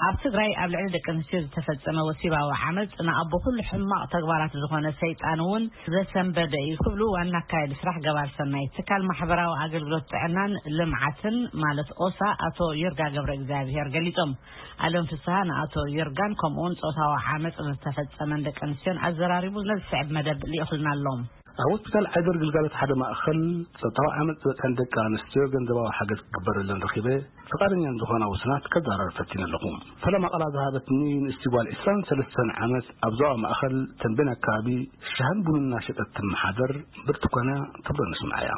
ኣብ ትግራይ ኣብ ልዕሊ ደቂ ኣንስትዮ ዝተፈጸመ ወሲባዊ ዓመጽ ንኣቦ ኩሉ ሕማቕ ተግባራት ዝኾነ ሰይጣን እውን ዘሰንበደ እዩ ክብሉ ዋና ኣካያዲ ስራሕ ገባር ሰናይ ትካል ማሕበራዊ ኣገልግሎት ጥዕናን ልምዓትን ማለት ኦሳ ኣቶ ይርጋ ገብረ እግዚኣብሔር ገሊጾም። ኣለም ፍስሃ ንኣቶ ይርጋን ከምኡውን ጾታዊ ዓመጽ ዝተፈጸመን ደቂ ኣንስትዮን ኣዘራሪቡ ነዚ ዝስዕብ መደብ ልኢኹልና ኣሎ። ኣብ ሆስፒታል ዓይደር ግልጋሎት ሓደ ማእኸል ጾታዊ ዓመጽ ዝበጽሐን ደቂ ኣንስትዮ ገንዘባዊ ሓገዝ ክግበረለን ረኺበ ፍቓደኛን ዝኾና ውሱናት ከዘራርብ ፈቲነ ኣለኹ። ፈለማ ቃላ ዝሃበትኒ ንእስቲ ጓል ዕስራን ሰለስተን ዓመት ኣብ ዞባ ማእኸል ተንቤን ኣካባቢ ሻህን ቡንን እናሸጠት ትመሓደር ብርቱኳና ትብሎ ንስምዓያ።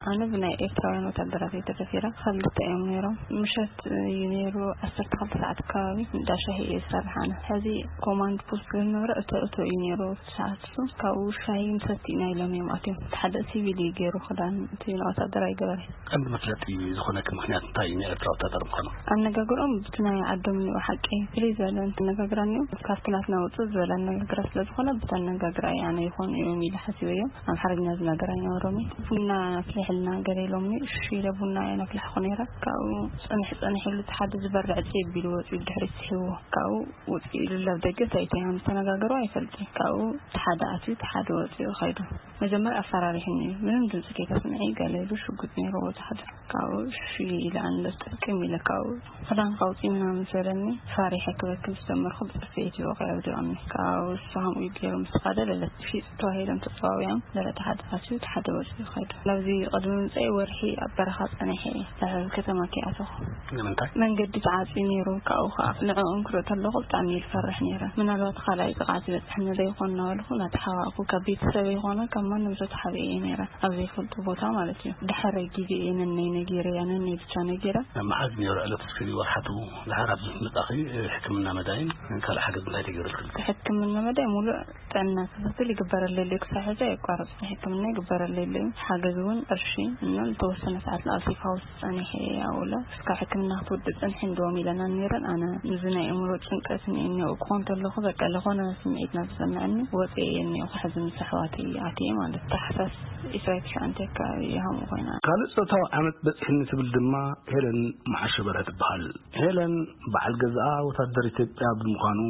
ኣነ ብናይ ኤርትራውያን ወታደራት እየ ተደፊረ። ክልተ እዮም ነይሮም። ምሸት እዩ ነይሩ፣ ዓሰርተ ክልተ ሰዓት ኣካባቢ እንዳ ሻሂ እየ ዝሰርሕ ኣነ። ሕዚ ኮማንድ ፖስት ዝነበረ እቶ እቶ እዩ ነይሩ። ሰዓት እሱ ካብኡ ሻሂ ንሰቲ ኢና ኢሎም እዮም ኣትዮም። እቲ ሓደ ሲቪል እዩ ገይሩ ክዳን፣ እቲ ወታደራዊ ገበረ። ቀንዲ መፍለጢ ዝኾነኪ ምኽንያት እንታይ እዩ? ናይ ኤርትራ ወታደር ምዃኑ? ኣነጋግሮም ብቲ ናይ ዓዶም እዩ ሓቂ። ፍልይ ዝበለ ኣነጋግራ እኒኦ። ካብቲ ናትና ውፅእ ዝበለ ኣነጋግራ ስለ ዝኾነ ብቲ ኣነጋግራ እዩ ኣነ ይኾኑ እዮም ኢለ ሓሲበ እዮም። ኣምሓርኛ ዝነገር ኣይነበሮም እዩ። ቡና ኣፍልሕልና ገለ ኢሎምኒ። እሺ ኢለ ቡና እየ ነፍልሐኹ ነይረ። ካብኡ ፅንሕ ፅንሕ ኢሉ እቲ ሓደ ዝበርዕ ፅብ ኢሉ ወፂኡ ድሕሪት ስሒብዎ። ካብኡ ውፅእ ኢሉ ኣብ ደገ እንታይ እንታይ ከም ዝተነጋገሩ ኣይፈልጥን። ካብኡ እቲ ሓደ ኣትዩ እቲ ሓደ ወፂኡ ኸይዱ። መጀመርያ ኣፈራሪሕኒ እዩ። ምንም ድምፂ ከይተስምዒ ገለ ኢሉ ሽጉጥ ነይርዎ እቲ ሓደ። ካብኡ እሺ ኢለ ኣንለስ ጥቅም ኢለ ካብኡ ክዳን ካውፂ ምናምን ሰለኒ። ፈሪሐ ክበክም ዝጀመርኩ ብፅፍዒት ይወቂ ኣውዲቐኒ። ካብኡ እሱ ከምኡ ገይሩ ምስ ኸደ ለለት ሽጥ ተባሂሎም ተፀዋዊዖም ለለት ሓደ ኣትዩ እቲ ሓደ ወፂኡ ኸይዱ። ናብዚ ቅድሚ ምፀኢ ወርሒ ኣብ በረኻ ፀኒሐ እየ። ኣብ ከተማ ከይኣተኹ ንምንታይ? መንገዲ ተዓፅዩ ነይሩ። ካብኡ ከዓ ንዕኦም ክርኢ ከለኹ ብጣዕሚ እየ ዝፈርሕ ነይረ። ምናልባት ካልኣይ ጥቕዓት ይበፅሐኒ ዶ ይኾን እናበልኩ እናተሓባእኩ ካብ ቤተሰበይ ይኾነ ካብ ማንም ሰው ተሓቢኤ እየ ነይረ። ኣብ ዘይፈልጦ ቦታ ማለት እዩ። ድሕሪ ግዜ እየ ነነይ ነጊረ እያ፣ ነነይ ብቻ ነጊረ። መዓዝ ነይሩ ዕለት እስኪ ወርሓቱ ድሓር ኣብዚ ምጻኺ ሕክምና መዳይን ካልእ ሓገዝ እንታይ ተገይሩልኪ? ሕክምና መዳይ ሙሉእ ጥዕና ክትትል ይግበረለይ ኣሎ። ክሳብ ሕጂ ኣየቋረጽኩን። ሕክምና ይግበረለይ ኣሎ። ሓገዝ እውን ቅርሺ እና ዝተወሰነ ሰዓት ንኣብ ሴፍ ሃውስ ጸኒሐ እየ ኣብኡ። እስካብ ሕክምና ክትወዲ ጽንሒ እንድዎም ኢለና ነይረን። ኣነ እዚ ናይ ኣእምሮ ጭንቀት እኒኦ ክኾን ተለኹ በቃ ለኾነ ስምዒት ናብ ዝሰምዐኒ ወፂአ እየ እኒኦ። ሕዚ ምስ ኣሕዋተይ ኣትየ ማለት ታሕሳስ ዕስራን ትሽዓተን ኣካባቢ እየ ከምኡ ኮይና። ካልእ ጾታዊ ዓመጽ በጺሕኒ ትብል ድማ ሄለን መዓሾ በርሀ ትበሃል። ሄለን በዓል ገዝኣ ወታደር ኢትዮጵያ ብምዃኑ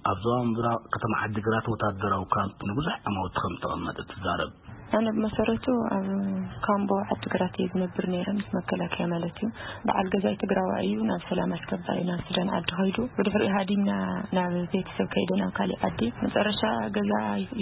ኣብ ዞባ ምብራቕ ከተማ ዓዲግራት ወታደራዊ ካምፕ ንብዙሕ ዓማውቲ ከም ዝተቐመጠ ትዛረብ። ኣነ ብመሰረቱ ኣብ ካምቦ ዓዲግራት እየ ዝነብር ነይረ፣ ምስ መከላከያ ማለት እዩ። በዓል ገዛይ ትግራዋይ እዩ፣ ናብ ሰላም ኣስገባይ ናብ ሱዳን ዓዲ ኸይዱ። ብድሕሪኡ ሃዲምና ናብ ቤተሰብ ከይደ ናብ ካሊእ ዓዲ። መጨረሻ ገዛ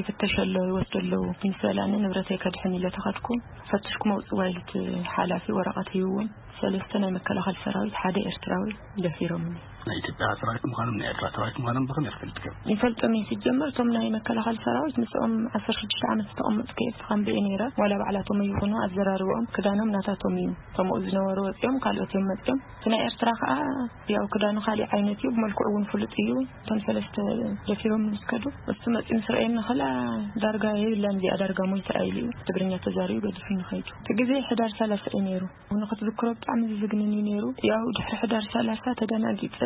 ይፍተሽ ኣሎ፣ ይወስዶ ኣለዉ ምስ በላኒ ንብረተይ ከድሕን ኢለ ተኸድኩ። ፈትሽኩም ኣውፅዋ ኢሉ እቲ ሓላፊ ወረቐት ሂብዎም። ሰለስተ ናይ መከላኸሊ ሰራዊት፣ ሓደ ኤርትራዊ ደፊሮምኒ። ናይ ኢትዮጵያ ሰራዊት ምዃኖም ናይ ኤርትራ ሰራዊት ምዃኖም ብኸመይ ትፈልጥዮም? ይፈልጦም እየ። ሲጀመር እቶም ናይ መከላኸሊ ሰራዊት ምስኦም ዓሰርተ ሽዱሽተ ዓመት ዝተቐመጥኩ እየ። ኣብቲ ካምቢ እየ ነይረ። ዋላ ባዕላቶም ይኹኑ ኣዘራርባኦም ክዳኖም ናታቶም እዩ። እቶም ኣብኡ ዝነበሩ ወፂኦም ካልኦት እዮም መፂኦም። እቲ ናይ ኤርትራ ከዓ ያው ክዳኑ ካሊእ ዓይነት እዩ፣ ብመልክዑ እውን ፍሉጥ እዩ። እቶም ሰለስተ ደፊሮም ምስ ከዱ እሱ መፂኡ ምስ ረኣየኒ ከላ ዳርጋ የብላን እዚኣ ዳርጋ ሞይታ ኢሉ እዩ ትግርኛ ተዛሪቡ ገዲፉኒ ኸይዱ። እቲ ግዜ ሕዳር ሰላሳ እዩ ነይሩ። ንኽትዝክሮ ብጣዕሚ ዝዝግንን እዩ ነይሩ። ያው ድሕሪ ሕዳር ሰላሳ ተደናጊፀ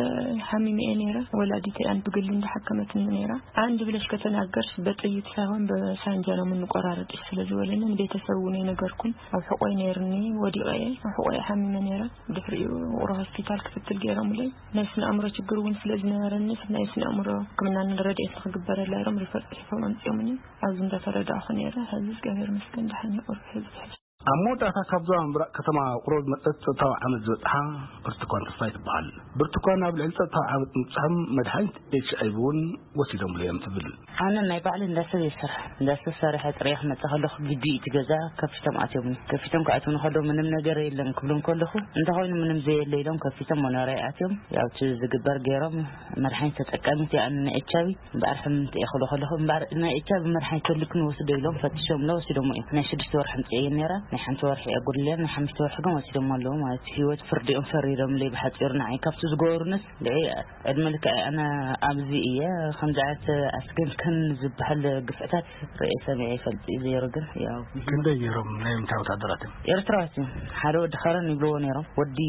ሓሚመ እየ ነይረ። ወላዲተይ ኣን ብግሊ እንዳሓከመትኒ ነይራ። አንድ ብለሽ ከተናገርሽ በጥይት ሳይሆን በሳንጃ ነው የምንቆራረጥሽ ስለ ዝበለኒ ንቤተሰብ እውን የነገርኩን። ኣብ ሕቆይ ነይርኒ ወዲቐ እየ። ኣብ ሕቆይ ሓሚመ ነይረ። ድሕሪኡ ውቕሮ ሆስፒታል ክትትል ገይሮምለይ። ናይ ስነ ኣእምሮ ችግር እውን ስለ ዝነበረኒ ናይ ስነ ኣእምሮ ሕክምና ረድኤት ንክግበረላ ኢሎም ሪፈር ፅሒፎም ኣምፂኦምኒ። ኣብዚ እንዳተረዳእኹ ነይረ። ሕዚ እግዚኣብሔር ይመስገን ደሓን እየ። ቁሩብ ሕዚ ትሕሽ ኣብ መወዳእታ ካብ ዞባ ምብራቕ ከተማ ውቕሮ ዝመጸት ጸጥታዊ ዓመጽ ዝበጽሓ ብርቱኳን ተስፋይ ትበሃል። ብርቱኳን ኣብ ልዕሊ ጸጥታዊ ዓመጽ ምብጽሖም መድሃኒት ኤች ኣይ ቪ እውን ወሲዶምሉ እዮም ትብል። ኣነ ናይ ባዕለይ እንዳሰብ እየ ዝሰርሕ። እንዳሰብ ሰሪሐ ጥሪየ ክመጽእ ከለኹ ግቢ እቲ ገዛ ከፊቶም ኣትዮም። ከፊቶም ክኣትውኒ ከለዉ ምንም ነገር የለን ክብሎም ከለኹ እንተኾይኑ ምንም ዘየለ ኢሎም ከፊቶም መኖርያ ኣትዮም። ያው እቲ ዝግበር ገይሮም መድሓኒት ተጠቃሚት እየ ኣነ ናይ ኤች ኣይ ቪ። እምበኣር ሕምምቲ እየ ክብሎ ከለኹ እምበኣር ናይ ኤች ኣይ ቪ መድሓኒት ተልክን ወስዶ ኢሎም ፈትሾም ለ ወሲዶሞ እዮም። ናይ ሽዱሽተ ወርሒ ኣምፅኤ ነይረ፣ ናይ ሓንቲ ወርሒ እየ ጉድልያ፣ ናይ ሓሙሽተ ወርሒ ግን ወሲዶሞ ኣለዉ ማለት እዩ። ህይወት ፍርዲኦም ፈሪዶምለይ ብሓፂሩ ንዓይ ካብቲ ዝገበሩንስ ንዒ ዕድመ ልክዐይ ኣነ ኣብዚ እየ። ከምዚ ዓይነት ኣስገምከን ዝበሃል ግፍዕታት ርእየ ሰሚዐ ይፈልጥ እዩ ዘይሩ ግን ያው ክንደይ ነይሮም ናይ ምንታይ ወታደራት እዮም? ኤርትራዋት እዮም። ሓደ ወዲ ከረን ይብልዎ ነይሮም፣ ወዲ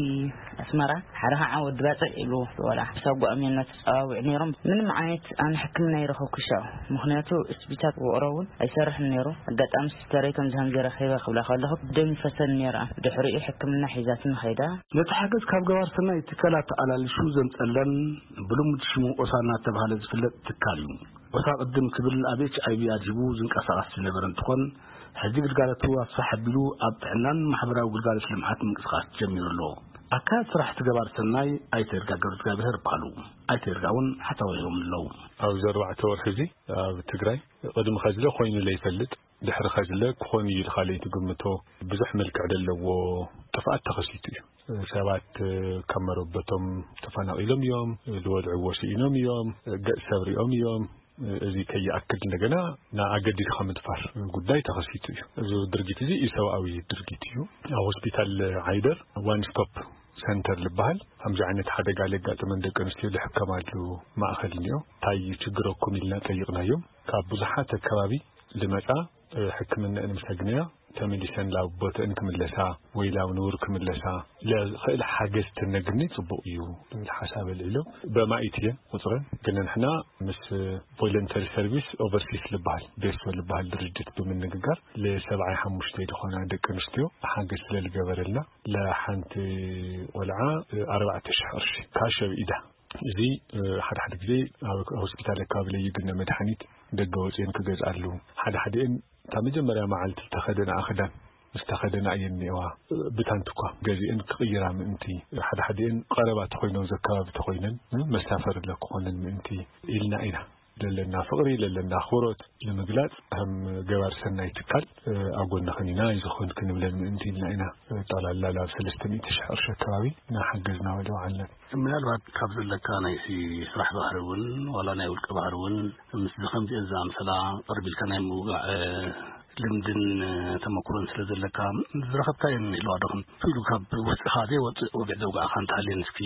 ኣስመራ፣ ሓደ ከዓ ወዲ ባፅዕ ይብልዎ። ዋላ ሳጓኦም እዮም እናተፀዋውዑ ነይሮም። ምንም ዓይነት ኣነ ሕክምና ይረኸብኩ ሻው፣ ምክንያቱ ስቢታት ውቕሮ እውን ኣይሰርሕን ነይሩ። ኣጋጣሚ ሲስተረይ ከምዚ ከምዚ ረኺበ ክብላ ከለኹ ደም ይፈሰን ነይራ። ድሕሪኡ ሕክምና ሒዛትኒ ኸይዳ። ነቲ ሓገዝ ካብ ገባር ሰናይ ትካላት ኣላልሹ ዘምጸለን ብልሙድ ሽሙ ኦሳ እናተባህለ ዝፍለጥ ትካል እዩ። ኦሳ ቅድም ክብል ኣብ ኤች ኣይ ቪ ኣድሂቡ ዝንቀሳቐስ ዝነበረ እንትኾን፣ ሕጂ ግልጋሎቱ ኣስፍሕ ኣቢሉ ኣብ ጥዕናን ማሕበራዊ ግልጋሎት ልምዓት ምንቅስቓስ ጀሚሩ ኣሎ። ኣካያዲ ስራሕ እቲ ገባር ሰናይ ኣይተ ይርጋ ገብረ እግዚኣብሔር ይበሃሉ። ኣይተ ይርጋ እውን ሓሳቦም ሂቦም ኣለዉ። ኣብዚ ኣርባዕተ ወርሒ እዚ ኣብ ትግራይ ቅድሚ ኸዚ ኮይኑ ለይፈልጥ፣ ድሕሪ ኸዚ ክኾን እዩ ኢልካ ለይትግምቶ ብዙሕ መልክዕ ዘለዎ ጥፍኣት ተኸሲቱ እዩ። ሰባት ካብ መረበቶም ተፈናቒሎም እዮም፣ ዝወልዕዎ ስኢኖም እዮም፣ ገጽ ሰብ ሪኦም እዮም። እዚ ከይኣክል እንደገና ንኣገዲድካ ምድፋር ጉዳይ ተኸሲቱ እዩ። እዚ ድርጊት እዚ ኢሰብኣዊ ድርጊት እዩ። ኣብ ሆስፒታል ዓይደር ዋን ስቶፕ ሰንተር ዝበሃል ከምዚ ዓይነት ሓደጋ ለጋጠመን ደቂ ኣንስትዮ ዝሕከማሉ ማእኸል እኒኦ። እንታይ ችግረኩም ኢልና ጠይቕናዮም። ካብ ብዙሓት ኣከባቢ ዝመጻ ሕክምና ንምሰግንያ ተመሊሰን ላብ ቦተእን ክምለሳ ወይ ላብ ንቡር ክምለሳ ለኽእል ሓገዝ ተነግኒ ጽቡቕ እዩ ዝብል ሓሳብ ኣልዒሎም። በማኢት እየን ቁጽረን፣ ግን ንሕና ምስ ቮለንተሪ ሰርቪስ ኦቨርሲስ ዝበሃል ቤሶ ዝበሃል ድርጅት ብምንግጋር ለሰብዓይ ሓሙሽተ ዝኾና ደቂ ኣንስትዮ ሓገዝ ስለ ዝገበረልና ለሓንቲ ቆልዓ ኣርባዕተ ሽሕ ቅርሺ ካሽ ኣብ ኢዳ። እዚ ሓደ ሓደ ግዜ ኣብ ሆስፒታል ኣካባቢ ለይግነ መድሓኒት ደገ ወፅየን ክገዝኣሉ፣ ሓደ ሓደኤን እታ መጀመርያ መዓልቲ ዝተኸደንኣ ክዳን ምስ ተኸደና እየን እኒአዋ። ብታንት እኳ ገዚአን ክቕይራ ምእንቲ፣ ሓደ ሓደኤን ቀረባ ተኾይኖም ዘካባቢ ተኾይነን መሳፈሪ ለክኾነን ምእንቲ ኢልና ኢና። ለለና ፍቕሪ ለለና ኣኽብሮት ንምግላፅ ከም ገባር ሰናይ ትካል ኣብ ጎንኽን ኢና፣ ኣይዞኽን ክንብለን ምእንቲ ኢልና ኢና። ጠቕላላ ናብ ሰለስተ ሚእቲ ሽሕ ቅርሺ ኣካባቢ እናሓገዝና ወደዋዓለን። ምናልባት ካብ ዘለካ ናይ ስራሕ ባህሪ እውን ዋላ ናይ ውልቀ ባህሪ እውን ምስዚ ከምዚአን ዝኣምሰላ ቅርብ ኢልካ ናይ ምውጋዕ ልምድን ተመክሮን ስለ ዘለካ ዝረኸብካየን ይህልዋ ዶ? ከም ኢሉ ካብ ውስጥኻ ዘይወፅእ ወግዒ ዘውጋዕካ እንተሃልየን እስኪ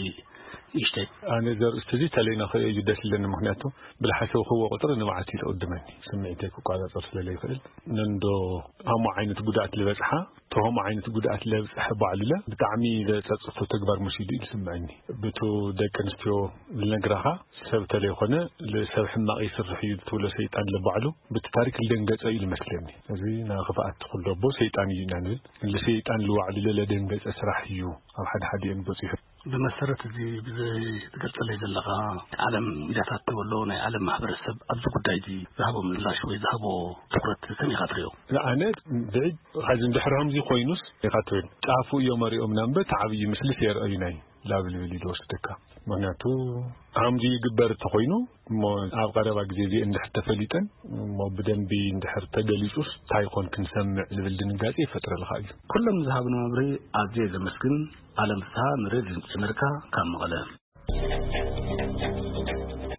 ንእሽተይ። ኣነ እዚ ኣርእስቲ እዚ ተለይና ክርእዮ እዩ ደስ ዝብለኒ፣ ምክንያቱ ብልሓሰብክዎ ቁፅሪ ንብዓት እዩ ዝቕድመኒ፣ ስምዒተይ ክቋፃፀር ስለ ዘይክእል። ነንዶ ሃሞ ዓይነት ጉድኣት ዝበፅሓ ተሆሞ ዓይነት ጉድኣት ለብፅሐ ባዕሉለ ብጣዕሚ ዘፀፅቶ ተግባር መሲሉ እዩ ዝስምዐኒ። ብቱ ደቂ ኣንስትዮ ዝነግራኻ ሰብ ተለይኮነ ሰብ ሕማቕ ይስርሕ እዩ ትብሎ ሰይጣን ለባዕሉ ብቲ ታሪክ ልደንገፀ እዩ ዝመስለኒ። እዚ ናይ ክፍኣት ኩሉ ኣቦ ሰይጣን እዩ ኢና ንብል። ንሰይጣን ልባዕሉ ለደንገፀ ስራሕ እዩ ኣብ ሓደ ሓዲአን በፂሑ። ብመሰረት እዚ ብዘይ ትገልጸለይ ዘለኻ ዓለም ሚድያታት ትበሎ ናይ ዓለም ማሕበረሰብ ኣብዚ ጉዳይ እዚ ዝሃቦ ምላሽ ወይ ዝሃቦ ትኹረት ከመይ ኢኻ ትሪኦ? ኣነ ብዒድ ኻዚ እንድሕር ከምዚ ኮይኑስ ኢኻ ትብል ጫፉ እዮም ኣሪኦምና እምበር እቲ ዓብዪ ምስልስ የርእዩና እዩ ላብል ብል እዩ ዝወስደካ። ምክንያቱ ከምዚ ይግበር እንተኾይኑ እሞ ኣብ ቀረባ ግዜ እዚ እንድሕር ተፈሊጠን እሞ ብደንቢ እንድሕር ተገሊጹስ እንታይ ይኾን ክንሰምዕ ዝብል ድንጋጼ ይፈጥረልካ እዩ። ኩሎም ዝሃብና መብርሂ ኣዝየ ዘመስግን። ኣለም ፍስሃ ንሬድዮ ድምፂ ኣሜሪካ ካብ መቐለ።